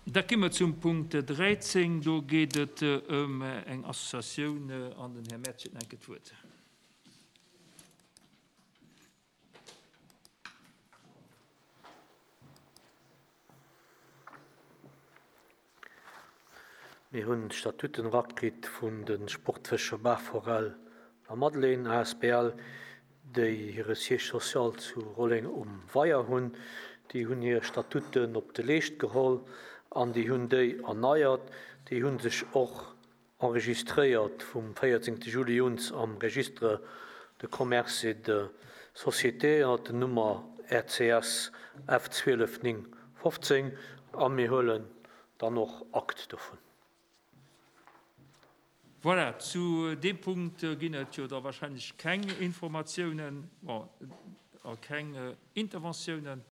Da gi mer zum Punkt 13. Do geet et ëm eng Associatioun an den Här Mertz huet nach eng Kéier d'Wuert. Mir hunn d'Statuten erakritt vun de Sportfëscher Baachforell a Madeleine asbl, déi hire Siège social zu Rolleng um Weier hunn. Déi hunn hir Statuten op de Leescht geholl an déi hunn déi erneiert. Déi hu sech och enregistréiert vum 14 Juli uns am Registre de commerce et de sociétés ënner der Nummer RCS F 12915 a mir huelen dann och Akt dovun. Voilà, zu deem Punkt ginn et jo da wahrscheinlech keng Informatiounen, bon, a keng Interventiounen.